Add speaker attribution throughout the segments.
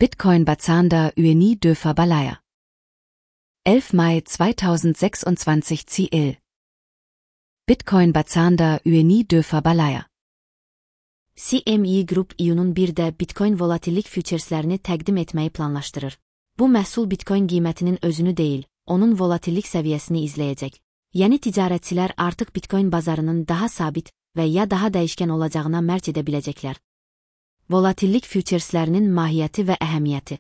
Speaker 1: Bitcoin bazarında üyeni döfer balaya. 11 Mai 2026 CL. Bitcoin bazarında üyeni döfer balaya.
Speaker 2: CME Group iyunun 1-də Bitcoin volatillik fütureslərini təqdim etməyi planlaşdırır. Bu məhsul Bitcoin qiymətinin özünü deyil, onun volatillik səviyyəsini izləyəcək. Yeni ticarətçilər artıq Bitcoin bazarının daha sabit və ya daha dəyişkən olacağına mərc edə biləcəklər. Volatillik fütureslərinin mahiyyəti və əhəmiyyəti.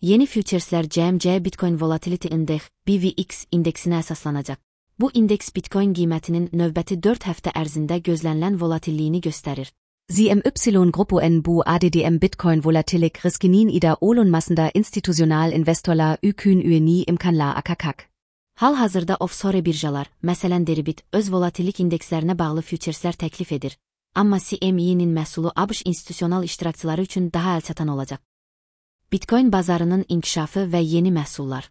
Speaker 2: Yeni fütureslər CME Bitcoin Volatility Index (BVX) indeksinə əsaslanacaq. Bu indeks Bitcoin qiymətinin növbəti 4 həftə ərzində gözlənilən volatilliyini göstərir.
Speaker 1: CMY Grupo bu ADDM Bitcoin Volatilik riskinin ida olunmasında institutional investorlar ükün üyeni imkanlar akakak.
Speaker 2: Hal-hazırda offshore birjalar, məsələn Deribit, öz volatillik indekslərinə bağlı fütureslər təklif edir. Amma CME-nin məhsulu ABŞ institusional iştirakçıları üçün daha əlçatan olacaq. Bitcoin bazarının inkişafı və yeni məhsullar.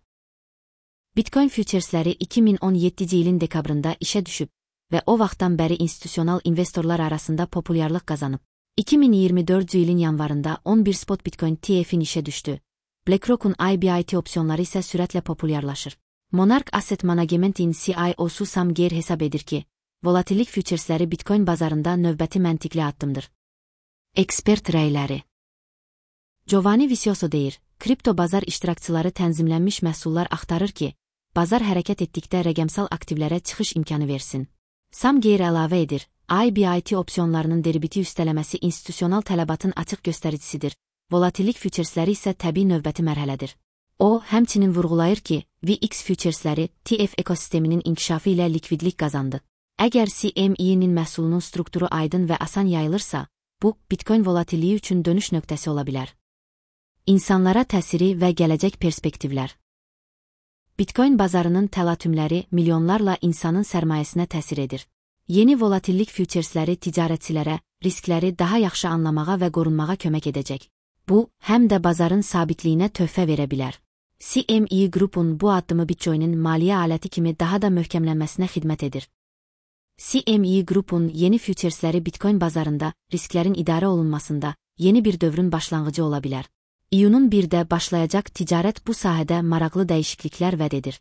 Speaker 2: Bitcoin füturesləri 2017-ci ilin dekabrında işə düşüb və o vaxtdan bəri institusional investorlar arasında populyarlıq qazanıb. 2024-cü ilin yanvarında 11 spot Bitcoin ETF-in işə düşdü. BlackRock'un IBIT opsiyonları isə sürətlə populyarlaşır. Monarch Asset Management'in CIO'su Sam Gare hesab edir ki, volatillik füturesləri Bitcoin bazarında növbəti məntiqli addımdır. Ekspert rəyləri. Giovanni Vicioso deyir, kripto bazar iştirakçıları tənzimlənmiş məhsullar axtarır ki, bazar hərəkət etdikdə rəqəmsal aktivlərə çıxış imkanı versin. Sam Gare əlavə edir, IBIT opsiyonlarının deribiti üstələməsi institusional tələbatın açıq göstəricisidir, volatillik füturesləri isə təbii növbəti mərhələdir. O, həmçinin vurğulayır ki, VX füturesləri TF ekosisteminin inkişafı ilə likvidlik qazandı. Əgər CME-nin məhsulunun strukturu aydın və asan yayılırsa, bu, Bitcoin volatilliyi üçün dönüş nöqtəsi ola bilər. İnsanlara təsiri və gələcək perspektivlər. Bitcoin bazarının təlatümləri milyonlarla insanın sərmayəsinə təsir edir. Yeni volatillik füturesləri ticarətçilərə riskləri daha yaxşı anlamağa və qorunmağa kömək edəcək. Bu, həm də bazarın sabitliyinə töhfə verə bilər. CME Group'un bu addımı Bitcoin'in maliyyə aləti kimi daha da möhkəmlənməsinə xidmət edir. CME Group'un yeni füturesləri Bitcoin bazarında risklərin idarə olunmasında yeni bir dövrün başlanğıcı ola bilər. İyunun 1-də başlayacaq ticarət bu sahədə maraqlı dəyişikliklər vəd edir.